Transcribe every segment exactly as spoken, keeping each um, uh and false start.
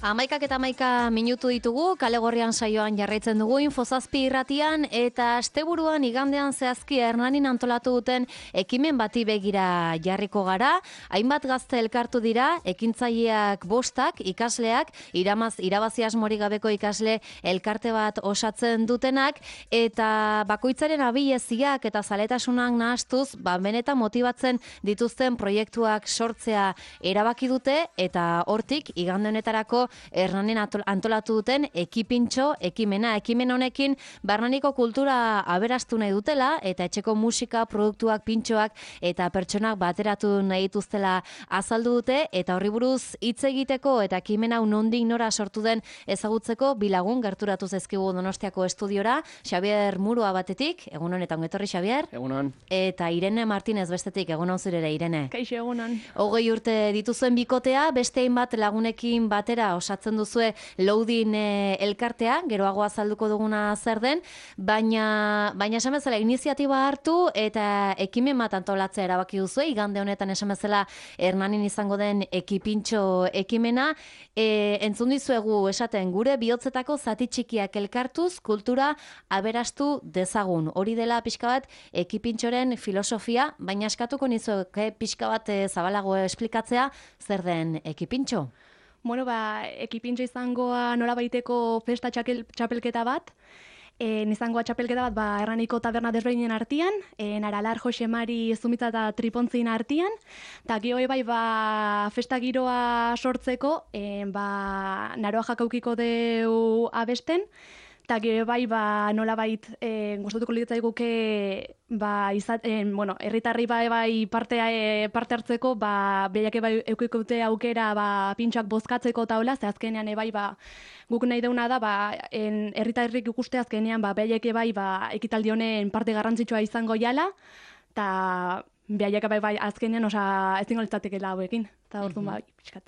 Amaikak eta amaika minutu ditugu, kale gorrian saioan jarraitzen dugu Infozazpi irratian, eta asteburuan igandean zehazki Hernanin antolatu duten ekimen bati begira jarriko gara. Hainbat gazte elkartu dira, ekintzaileak bostak, ikasleak, iramaz, irabazi asmorik gabeko ikasle elkarte bat osatzen dutenak, eta bakoitzaren abileziak eta zaletasunak nahastuz, ba, benetan motibatzen dituzten proiektuak sortzea erabaki dute, eta hortik igande honetarako Hernanin antolatu duten ekipintxo ekimena. Ekimen honekin Hernaniko kultura aberastu nahi dutela eta etxeko musika, produktuak, pintxoak eta pertsonak bateratu nahi dituztela azaldu dute, eta horri buruz hitz egiteko eta ekimen hau nondik nora sortu den ezagutzeko bilagun gerturatu zaizkigu Donostiako estudiora. Xabier Murua batetik, egun honetan ongetorri Xabier. Egunon. Eta Irene Martinez bestetik, egun hon zurere Irene. Kaixo, egunon. Hogei urte dituzuen bikotea, beste hainbat lagunekin batera osatzen duzue Loading e, elkartea, geroago azalduko duguna zer den, baina baina esan bezala iniziatiba hartu eta ekimen bat antolatzea erabaki duzue, igande honetan esan bezala Hernanin izango den ekipintxo ekimena. E, entzun dizuegu esaten gure bihotzetako zati txikiak elkartuz kultura aberastu dezagun. Hori dela pixka bat ekipintxoren filosofia, baina eskatuko nizueke pixka bat e, zabalago esplikatzea zer den ekipintxo. Bueno, ba, ekipintxo izangoa nola baiteko festa txakel, txapelketa bat, e, izangoa txapelketa bat ba, Hernaniko taberna desberdinen artean, e, Naralar, Josemari, Zumitza eta Tripontzin artean, eta gero bai ba, festa giroa sortzeko, e, ba, naroa jakaukiko deu abesten, eta gero bai ba, nola bait e, gustatuko litzaiguke ba, izat, e, bueno, herritarri bai, bai parte, e, parte hartzeko, ba, behiak bai eukikute aukera ba, pintxoak bozkatzeko taula, ze azkenean e, bai ba, guk nahi deuna da, ba, en, herritarrik ikuste azkenean ba, behiak bai ba, ekitaldi honen parte garrantzitsua izango jala, eta behiak bai, bai azkenean osa ezingo litzatekela hauekin. Eta orduan bai, pixkat.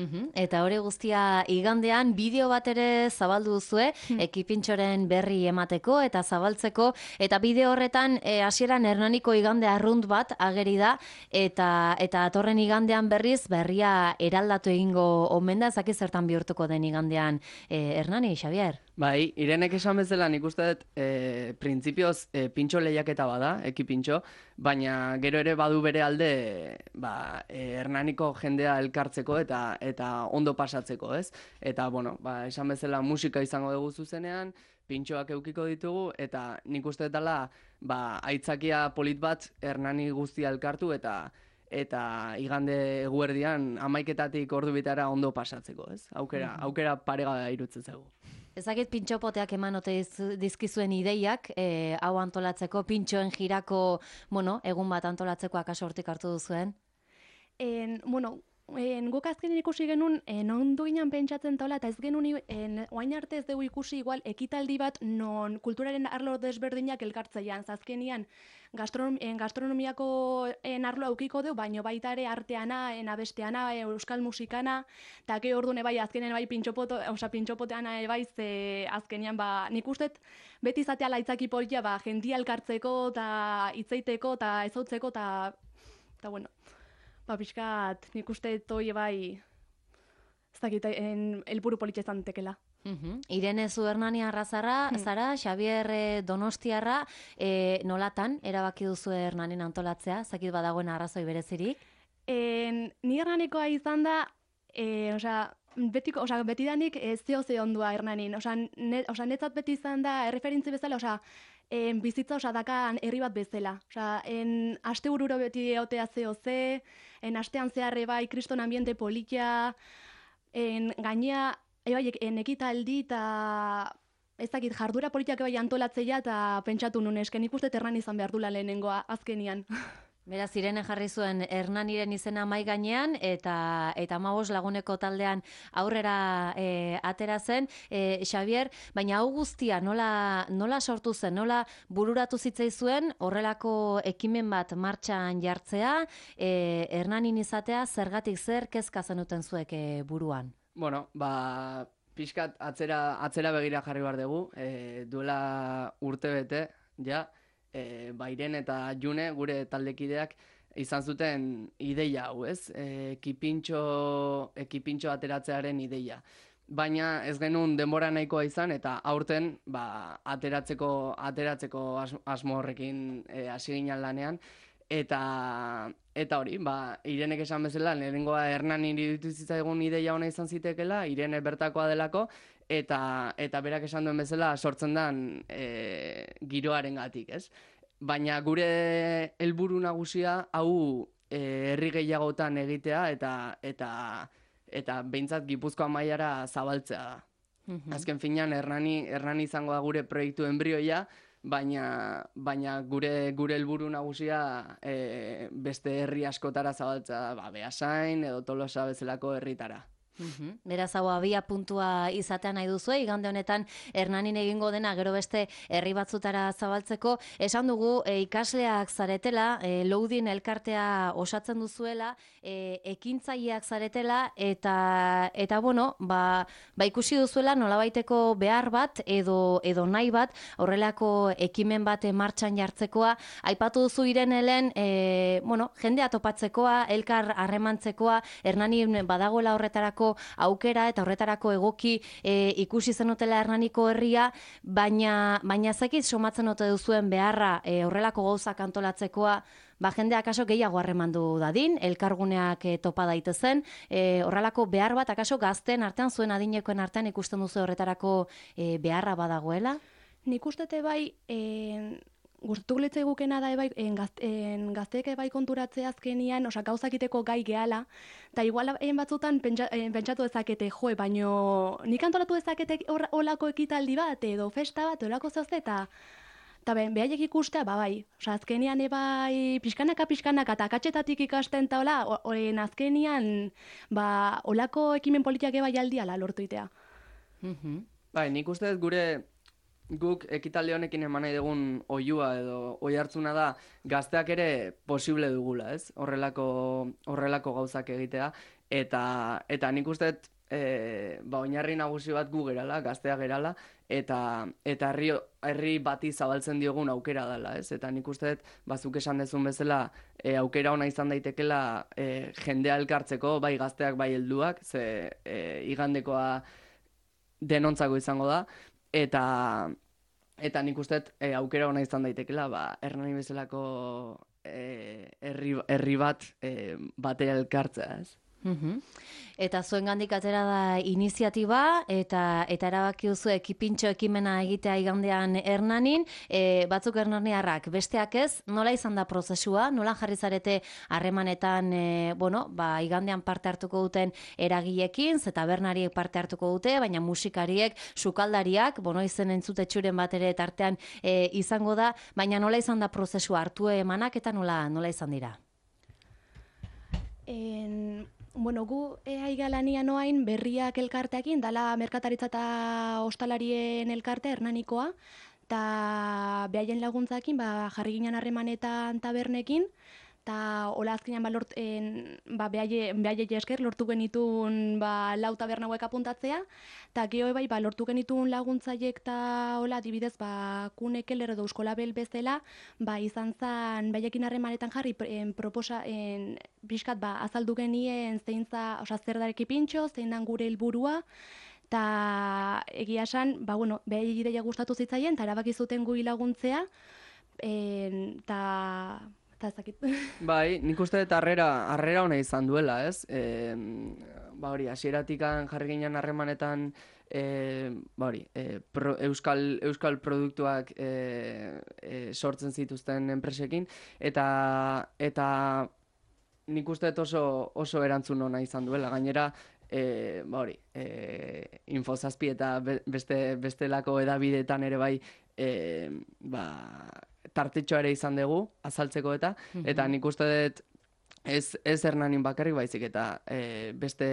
Uh-huh. Eta hori guztia igandean bideo bat ere zabaldu duzue, hmm. ekipintxoren berri emateko eta zabaltzeko, eta bideo horretan e, hasieran Hernaniko igande arrunt bat ageri da, eta eta atorren igandean berriz berria eraldatu egingo omen da, ezaki zertan bihurtuko den igandean e, Hernani, Xabier? Bai, Irenek esan bezala nik uste dut e, printzipioz e, pintxo lehiaketa bada, ekipintxo, baina gero ere badu bere alde ba, e, Hernaniko jendea elkartzeko eta eta ondo pasatzeko, ez? Eta, bueno, ba, esan bezala musika izango dugu zuzenean, pintxoak eukiko ditugu, eta nik uste dela ba, aitzakia polit bat Hernani guztia elkartu eta eta igande eguerdian hamaiketatik ordu bitara ondo pasatzeko, ez? Aukera, aukera parega irutzen zaigu. Ezakit pintxopoteak eman ote dizkizuen ideiak, e, hau antolatzeko, pintxoen jirako, bueno, egun bat antolatzeko akaso hortik hartu duzuen? En, bueno, en, guk azkenean ikusi genuen, en, ondu ginen pentsatzen taula, eta ez genuen, en, oain arte ez dugu ikusi igual ekitaldi bat non kulturaren arlo desberdinak elkartzeian. Azkenean, gastronom, en, gastronomiako en, arlo aukiko du, baino baita ere arteana, en, abesteana, euskal musikana, eta ge orduan bai azkenean bai pintxopoto, oza, pintxopoteana bai ze azkenean ba, nik ustet beti izatea laitzaki polia, ba, jendia elkartzeko, eta hitzeiteko, eta ezautzeko, eta, eta bueno, ba, pixkat, nik uste toi bai, ez dakit, helburu politxe izan tekela. Uh-huh. Irene zu Hernani arrazara, hmm. zara, Xabier e, Donostiarra, e, nolatan erabaki duzu Hernanin antolatzea, zakit badagoen arrazoi berezirik? En, ni Hernanikoa izan da, e, osea, betiko, osea, betidanik ez zeo ze ondua Hernanin, osea, ne, osea, netzat beti izan da, erreferentzi bezala, osea, en, bizitza osea, dakan herri bat bezala. Osea, en, aste bururo beti eotea zeo ze, en, astean zeharre bai, kriston ambiente politia, en, gainea, ebai, en, ekitaldi eta ez dakit, jardura politiak bai antolatzea eta pentsatu nun esken ikuste terran izan behar dula lehenengoa azkenian. Beraz, Irene jarri zuen Hernaniren izena mai gainean eta eta hamabos laguneko taldean aurrera e, atera zen. E, Xabier, baina hau guztia nola, nola sortu zen, nola bururatu zitzaizuen horrelako ekimen bat martxan jartzea, e, Hernanin izatea zergatik zer kezka zenuten zuek e, buruan? Bueno, ba, pixkat atzera, atzera begira jarri behar dugu, e, duela urte bete, ja, E, Bairen eta June, gure taldekideak, izan zuten ideia hau, ez? E, ekipintxo, ekipintxo ateratzearen ideia. baina ez genuen denbora nahikoa izan, eta aurten ba, ateratzeko, ateratzeko as, asmo horrekin e, hasi ginen lanean, eta eta hori, ba, Irenek esan bezala, lehenengoa Hernan iruditu zitzaigun ideia ona izan zitekela, Irene bertakoa delako, eta eta berak esan duen bezala sortzen den e, giroarengatik, ez? Baina gure helburu nagusia hau e, herri gehiagotan egitea eta eta eta behintzat Gipuzkoa mailara zabaltzea da. Mhm. Azken finean Hernani Hernani izango da gure proiektu enbrioia, baina baina gure gure helburu nagusia e, beste herri askotara zabaltzea da, ba Beasain edo Tolosa bezalako herritara. Uhum. Beraz, hau abia puntua izatea nahi duzu, igande honetan Hernanin egingo dena gero beste herri batzutara zabaltzeko. Esan dugu, e, ikasleak zaretela, e, Loudin elkartea osatzen duzuela, e, ekintzaileak zaretela, eta, eta bueno, ba, ba ikusi duzuela nolabaiteko behar bat edo, edo nahi bat, horrelako ekimen bat martxan jartzekoa. Aipatu duzu Irenelen, e, bueno, jendea topatzekoa, elkar harremantzekoa, Hernanin badagoela horretarako aukera eta horretarako egoki e, ikusi zenutela Hernaniko herria, baina baina zakit somatzen ote duzuen beharra e, horrelako gauzak antolatzekoa, ba jendea akaso gehiago harremandu dadin, elkarguneak e, topa daitezen, e, horrelako behar bat akaso gazten artean, zuen adinekoen artean ikusten duzu horretarako e, beharra badagoela? Nik ustete bai, e, gustatuko litzaigukena da ebai, en, gazte, en, gazteek ebai konturatzea azkenian, osa gauzakiteko gai gehala, eta igual en batzutan pentsa, en, pentsatu dezakete, joe, baino nik antolatu dezakete olako ekitaldi bat, edo festa bat, olako zehazte, eta eta ben, behaiek ikustea, ba bai, osa azkenian ebai pixkanaka, pixkanaka, eta akatxetatik ikasten eta hola, oren azkenian, ba, olako ekimen politiak ebai aldiala lortu itea. Mm-hmm. Bai, nik uste dut gure guk ekitaldi honekin eman nahi dugun oihua edo oi hartzuna da gazteak ere posible dugula, ez? Horrelako horrelako gauzak egitea eta eta nik uste dut e, ba oinarri nagusi bat gu gerala, gazteak gerala eta eta herri herri bati zabaltzen diogun aukera dela, ez? Eta nik uste dut bazuk esan dezun bezala e, aukera ona izan daitekela e, jendea elkartzeko, bai gazteak bai helduak, ze e, igandekoa denontzako izango da. Eta eta nik uste e, aukera ona izan daitekela, ba, Hernani bezalako e, herri, herri bat e, batera elkartzea, ez? Uhum. Eta zuen gandik atera da iniziatiba eta eta erabaki duzu ekipintxo ekimena egitea igandean Hernanin, e, batzuk hernaniarrak, besteak ez, nola izan da prozesua, nola jarri zarete harremanetan, e, bueno, ba, igandean parte hartuko duten eragilekin, ze tabernariek parte hartuko dute, baina musikariek, sukaldariak, bueno, izen entzute txuren bat ere tartean e, izango da, baina nola izan da prozesua, hartu emanak eta nola, nola izan dira? En... Bueno, gu ea igalania noain berriak elkarteakin, dala merkataritza eta ostalarien elkarte Hernanikoa, eta behaien laguntzakin ba, jarri ginen harremanetan tabernekin, eta hola azkenean ba, lort, en, ba, behaie, behaie esker lortu genitun ba, lau taberna hauek apuntatzea, eta geho bai ba, lortu genitun laguntzaiek eta hola adibidez ba, kunekeler edo euskolabel bezala, ba, izan zan behaiekin harremanetan jarri en, proposa, en, pixkat ba, azaldu genien zein za, oza, zer dareki pintxo, zein dan gure helburua, eta egia esan, ba, bueno, behai ideia gustatu zitzaien, eta erabaki zuten gui laguntzea, eta... Eta ezakit. Bai, nik uste dut harrera, harrera ona izan duela, ez? E, ba hori, hasieratikan jarri ginen harremanetan e, ba hori, e, pro, euskal, euskal produktuak e, e, sortzen zituzten enpresekin, eta eta nik uste dut oso, oso erantzun ona izan duela, gainera, E, ba hori, e, Infozazpi eta beste, bestelako edabideetan ere bai e, ba, tartetxoa ere izan dugu, azaltzeko eta, mm-hmm. eta nik uste dut ez, ez Hernanin bakarrik baizik eta e, beste,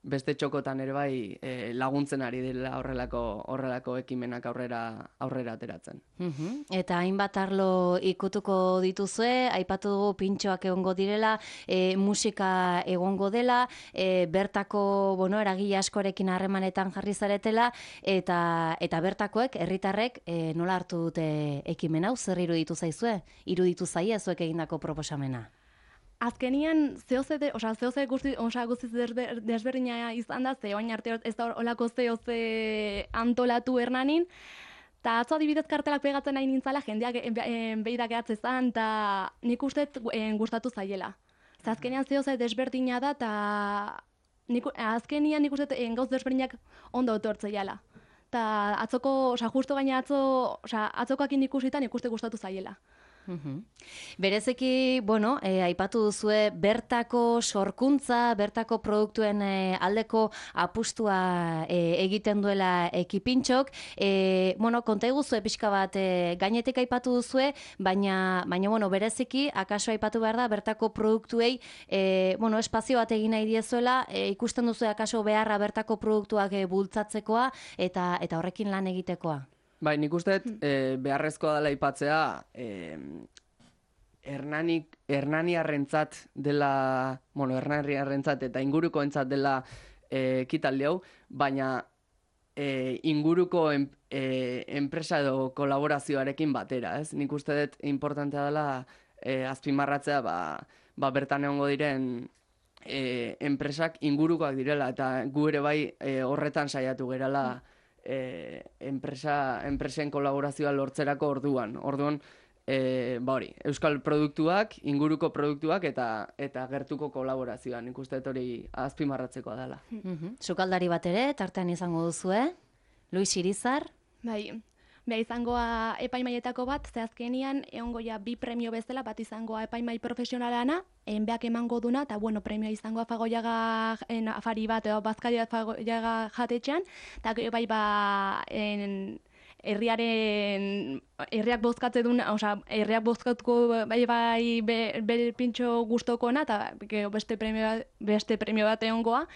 beste txokotan ere bai e, laguntzen ari dela horrelako, horrelako ekimenak aurrera, aurrera ateratzen. Mm-hmm. Eta hainbat arlo ikutuko dituzue, aipatu dugu pintxoak egongo direla, e, musika egongo dela, e, bertako bueno, eragile askorekin harremanetan jarri zaretela, eta, eta bertakoek, herritarrek e, nola hartu dute ekimen hau, zer iruditu zaizue? Iruditu zaie zuek egindako proposamena? azkenian zehoze, de, oza, zehoze guzti, oza, guztiz desber, desberdina izan da, ze oain arte ez da olako zehoze antolatu Hernanin, eta atzo adibidez kartelak pegatzen nahi nintzala, jendeak behira gehatze zan, eta nik uste gustatu zaiela. Ze azkenian zehoze desberdina da, eta nik, azkenian nik uste gauz desberdinak ondo etortzeiala. Eta atzoko, oza, justo gaina atzo, oza, atzokoakin ikusitan ikuste gustatu zaiela. Uhum. Berezeki, bueno, eh, aipatu duzue bertako sorkuntza, bertako produktuen eh, aldeko apustua eh, egiten duela ekipintxok. Eh, bueno, konta eguzue pixka bat eh, gainetik aipatu duzue, baina, baina bueno, berezeki, akaso aipatu behar da, bertako produktuei eh, bueno, espazio bat egin nahi diezuela, eh, ikusten duzue akaso beharra bertako produktuak eh, bultzatzekoa eta, eta horrekin lan egitekoa. Bai, nik uste e, beharrezkoa dela aipatzea e, Hernanik, Hernaniarrentzat dela, bueno, Hernaniarrentzat eta ingurukoentzat dela e, ekitaldi hau, baina e, inguruko en, e, enpresa edo kolaborazioarekin batera, ez? Nik uste dut importantea dela e, azpimarratzea, ba, ba bertan egongo diren e, enpresak ingurukoak direla, eta gu ere bai e, horretan saiatu gerala E, enpresa, enpresen kolaborazioa lortzerako orduan. Orduan, e, ba hori, euskal produktuak, inguruko produktuak eta eta gertuko kolaborazioa. Nik uste hori azpimarratzekoa dela. Mm-hmm. Sukaldari bat ere, tartean izango duzue, Luis Irizar. Bai, beha izangoa epaimaietako bat, ze azkenian egongo ja bi premio bezala, bat izangoa epaimai profesionalana, enbeak emango duna, eta bueno, premioa izangoa fagoiaga en, afari bat, edo bazkaria fagoiaga jatetxean, eta bai ba, en, herriaren, herriak bozkatze duna, oza, herriak bozkatuko bai bai be, be pintxo guztokona, eta beste premio, beste premio bat egongoa,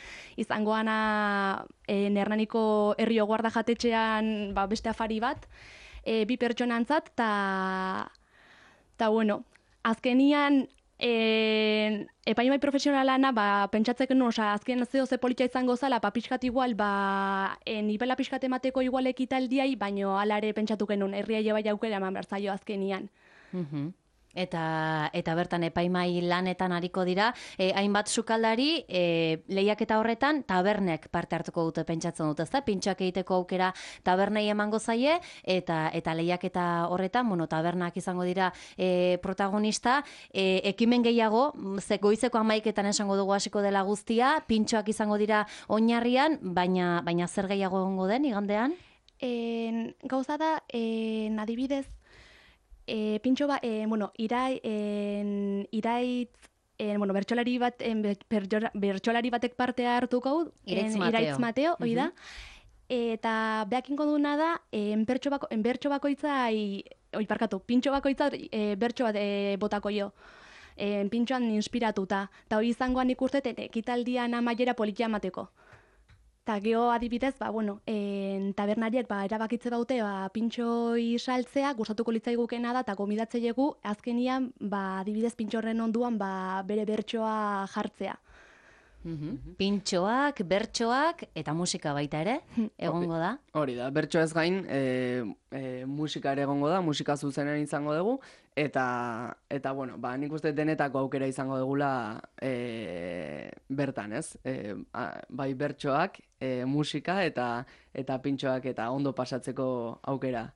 izangoana en, Hernaniko herrio guarda jatetxean ba, beste afari bat, e, bi pertsonantzat, eta, eta bueno, azkenian, E, epaimai profesionalana, ba, pentsatzeken nuen, oza, azken zeo ze politia izango zala, ba, pixkat igual, ba, e, nivela pixkat emateko igual ekitaldiai, baino alare pentsatu genuen, herria bai aukera eman behar zaio azkenian. Mm-hmm. Eta, eta bertan epaimai lanetan ariko dira, e, hainbat sukaldari e, lehiaketa horretan tabernek parte hartuko dute pentsatzen dute, ezta? Pintxoak egiteko aukera tabernei emango zaie, eta eta lehiaketa horretan, bueno, tabernak izango dira e, protagonista, e, ekimen gehiago, ze goizeko hamaiketan esango dugu hasiko dela guztia, pintxoak izango dira oinarrian, baina, baina zer gehiago egongo den igandean? En, gauza da, en, adibidez, E, pintxo ba, e, bueno, irai, en, iraitz, en, bueno, bertsolari bat, en, bertsolari batek partea hartuko, Iraitz en, Mateo. Iraitz Mateo, hoi da. Uh-huh. Eta behakinko duna da, en, bertso, bako, en, bertso bakoitza, oi, parkatu, pintxo bakoitza e, bertso bat e, botako jo. En, pintxoan inspiratuta. Eta hori izangoan ikusteten, ekitaldian amaiera politia emateko. Eta geho adibidez, ba, bueno, en, tabernariek ba, erabakitze baute ba, pintxoi saltzea, gustatuko litzaigukena da, eta gomidatzeilegu, azkenian, ba, adibidez pintxorren onduan ba, bere bertsoa jartzea. Mm-hmm. Pintxoak, bertsoak eta musika baita ere, egongo da. Hori da, bertso ez gain, e, e, musika ere egongo da, musika zuzenean izango dugu, eta, eta bueno, ba, nik uste denetako aukera izango dugula e, bertan, ez? E, a, bai bertsoak, e, musika eta, eta pintxoak eta ondo pasatzeko aukera.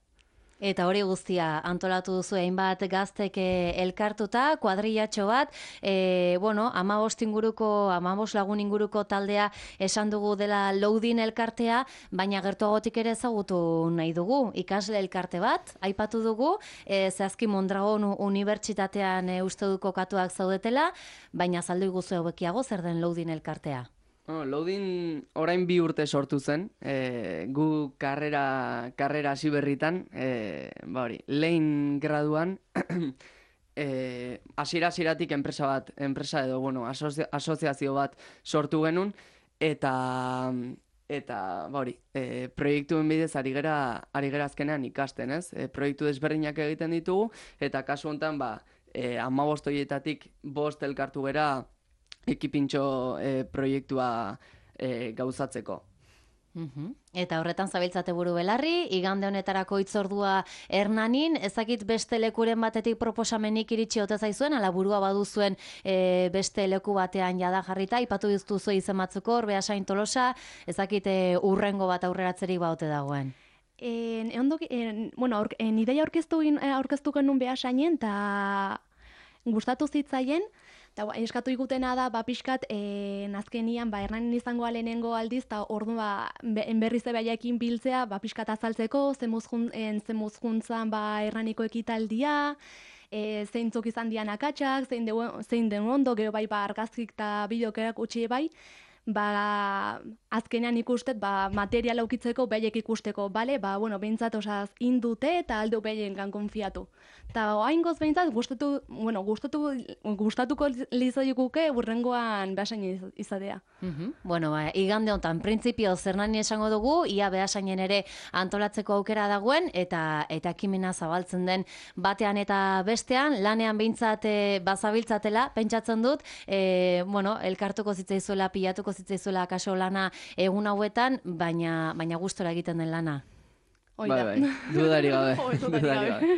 Eta hori guztia antolatu duzu hainbat gaztek elkartuta, kuadrillatxo bat, e, bueno, amabost inguruko, amabost lagun inguruko taldea esan dugu dela Loudin elkartea, baina gertuagotik ere ezagutu nahi dugu. Ikasle elkarte bat, aipatu dugu, e, zehazki Mondragon Unibertsitatean e, uste du kokatuak zaudetela, baina azaldu iguzu hauekiago zer den Loudin elkartea. Oh, Loudin orain bi urte sortu zen, e, gu karrera, karrera hasi berritan, e, ba hori, lehen graduan, e, hasiera hasieratik enpresa bat, enpresa edo, bueno, asozia, asoziazio bat sortu genuen, eta, eta ba hori, e, proiektuen bidez ari gera, ari gera azkenean ikasten, ez? E, proiektu desberdinak egiten ditugu, eta kasu honetan, ba, e, hamabost horietatik bost elkartu gera, ekipintxo e, proiektua e, gauzatzeko. Mhm. Eta horretan zabiltzate buru belarri, igande honetarako hitzordua Hernanin, ezakit beste lekuren batetik proposamenik iritsi ote zaizuen, ala burua baduzuen e, beste leku batean jada jarrita, ipatu diztuzu izen batzuk hor, Beasain Tolosa, ezakit e, urrengo bat aurreratzerik baute dagoen. En, ondo, en, bueno, aur, en, ideia aurkeztu, aurkeztu genuen Beasainen, eta gustatu zitzaien, eta eskatu igutena da, ba, pixkat, e, azkenian, ba, Hernanin izango lehenengo aldiz, eta ordu, ba, enberri zebaiakin biltzea, ba, pixkat azaltzeko, zemuz juntzan, ba, Hernaniko ekitaldia, e, zeintzuk izan dian akatsak, zein, de, zein den ondo, gero bai, ba, argazkik eta bideokerak utxi bai, ba, azkenean ikustet, ba, materiala ukitzeko behaiek ikusteko, bale? Ba, bueno, behintzat osaz indute eta aldo behiengan konfiatu. Eta oaingoz behintzat, gustatu, bueno, gustatu, gustatuko lizoikuke urrengoan Beasain izatea. Uh-huh. Bueno, ba, igande honetan, printzipio Hernani esango dugu, ia Beasainen ere antolatzeko aukera dagoen, eta eta ekimena zabaltzen den batean eta bestean, lanean behintzat e, bazabiltzatela, pentsatzen dut, e, bueno, elkartuko zitzaizuela, pilatuko zitzaizuela kaso lana egun hauetan, baina, baina gustora egiten den lana. Bai, bai, dudari gabe. Dudari gabe.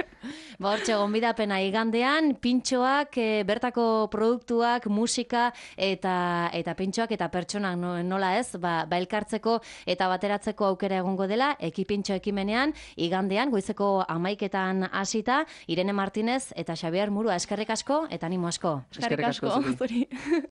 Ba, hortxe, gonbidapena igandean, pintxoak, e, bertako produktuak, musika eta eta pintxoak eta pertsonak no, nola ez, ba, ba elkartzeko eta bateratzeko aukera egongo dela, ekipintxo ekimenean, igandean, goizeko amaiketan hasita, Irene Martinez eta Xabier Murua, eskerrik asko eta animo asko. Eskerrik asko, zuri.